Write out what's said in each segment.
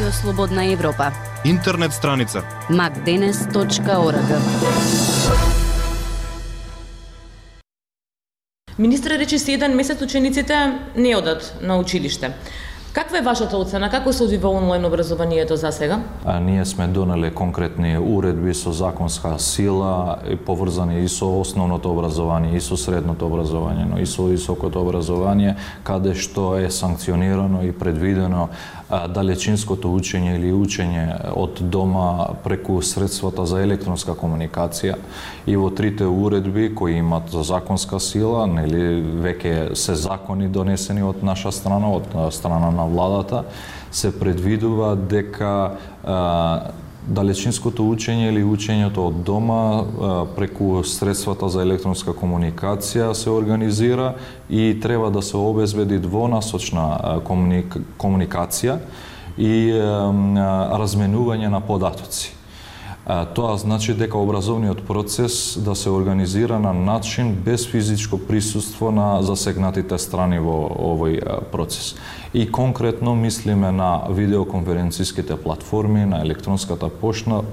Радио Слободна Европа. Интернет страница macdenes.org. Министр рече се еден месец учениците не одат на училиште. Каква е вашата оцена? Како се одвива онлайн образованието за сега? Ние сме донели конкретни уредби со законска сила и поврзани и со основното образование, и со средното образование, но и со високото образование, каде што е санкционирано и предвидено далечинското учење или учење од дома преку средствата за електронска комуникација. И во трите уредби кои имат законска сила, нели веќе се закони донесени од наша страна, од страна на владата, се предвидува дека далечинското учење или учењето од дома преку средствата за електронска комуникација се организира и треба да се обезбеди двонасочна комуникација и разменување на податоци. Тоа значи дека образовниот процес да се организира на начин без физичко присуство на засегнатите страни во овој процес. И конкретно мислиме на видеоконференциските платформи, на електронската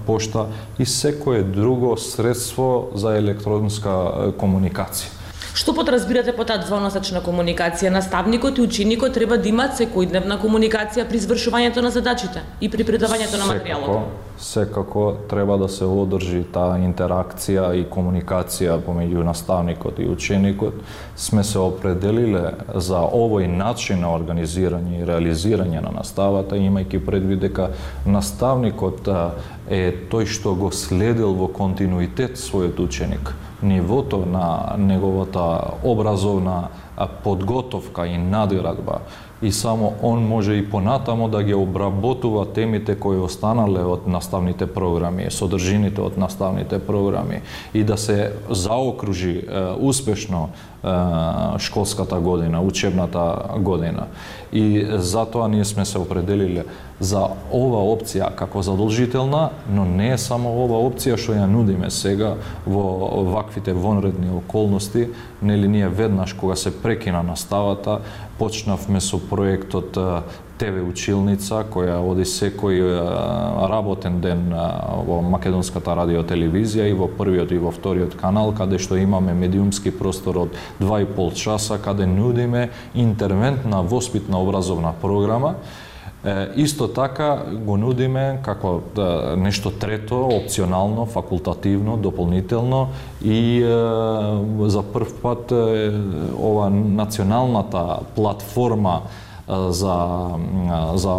пошта и секое друго средство за електронска комуникација. Што подразбирате по таа двонасочна комуникација? Наставникот и ученикот треба да имаат секојдневна комуникација при извршувањето на задачите и при предавањето на материјалот. Секако треба да се одржи таа интеракција и комуникација помеѓу наставникот и ученикот. Сме се определиле за овој начин на организирање и реализирање на наставата, имајќи предвид дека наставникот е тој што го следил во континуитет својот ученик. Нивото на неговата образовна подготовка и надградба и само он може и понатамо да ги обработува темите кои останале од наставните програми, содржините од наставните програми и да се заокружи успешно школската година, учебната година. И затоа ние сме се определиле за ова опција како задолжителна, но не е само ова опција што ја нудиме сега во ваквите вонредни околности. Нели ние веднаш кога се прекина наставата, почнавме со проектот ТВ училница, која оди секој работен ден во македонската радиотелевизија и во првиот и во вториот канал, каде што имаме медиумски простор од 2,5 часа, каде нудиме интервентна воспитна образовна програма. Исто така го нудиме како нешто трето, опционално, факултативно, дополнително и за прв пат ова националната платформа за